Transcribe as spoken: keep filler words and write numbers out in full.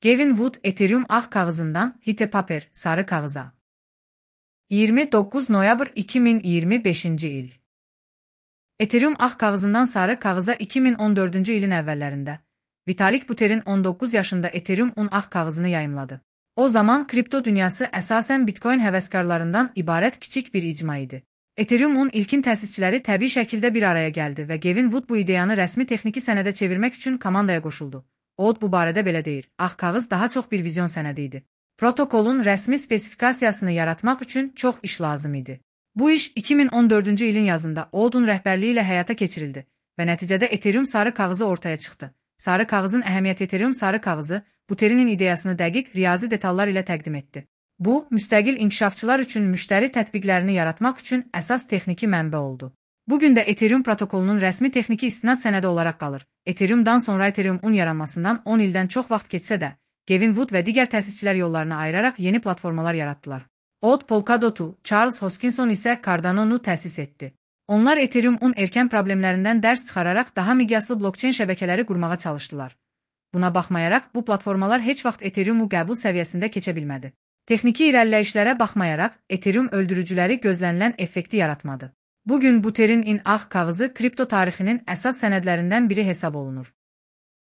Gavin Wood Ethereum ağ kağızından Hypepaper sarı kağıza. yirmi dokuz noyabr iki min iyirmi beşinci il. Ethereum ağ kağızından sarı kağıza iki min on dördüncü ilin əvvəllərində Vitalik Buterin on doqquz yaşında Ethereum-un ağ kağızını yayımladı. O zaman kripto dünyası əsasən Bitcoin həvəskarlarından ibarət kiçik bir icma idi. Ethereum-un ilkin təsisçiləri təbii şəkildə bir araya gəldi və Gavin Wood bu ideyanı rəsmi texniki sənədə çevirmək üçün komandaya qoşuldu. O bu barədə belə deyir: "Ağ kağız daha çox bir vizyon sənədi idi. Protokolun rəsmi spesifikasiyasını yaratmaq üçün çox iş lazım idi." Bu iş iki min on dördüncü ilin yazında Old'un rəhbərliyi ilə həyata keçirildi və nəticədə Ethereum sarı kağızı ortaya çıxdı. Sarı kağızın əhəmiyyəti Ethereum sarı kağızı Buterinin ideyasını dəqiq riyazi detallar ilə təqdim etdi. Bu, müstəqil inkişafçılar üçün müştəri tətbiqlərini yaratmaq üçün əsas texniki mənbə oldu. Bugün də Ethereum protokolunun rəsmi texniki istinad sənədi olaraq qalır. Ethereum-dan sonra Ethereum-un yaranmasından on ildən çox vaxt keçsə də, Gavin Wood və digər təsisçilər yollarını ayıraraq yeni platformalar yaratdılar. Old Polkadot'u, Charles Hoskinson isə Cardano'nu təsis etdi. Onlar Ethereum-un erkən problemlərindən dərs çıxararaq daha miqyaslı blokçeyn şəbəkələri qurmağa çalışdılar. Buna baxmayaraq, bu platformalar heç vaxt Ethereum-u qəbul səviyyəsində keçə bilmədi. Texniki irəliləyişlərə baxmayaraq, Ethereum öldürücüləri gözlənilən effekti yaratmadı. Bugün Buterin-in ağ kağızı kripto tarixinin əsas sənədlərindən biri hesab olunur.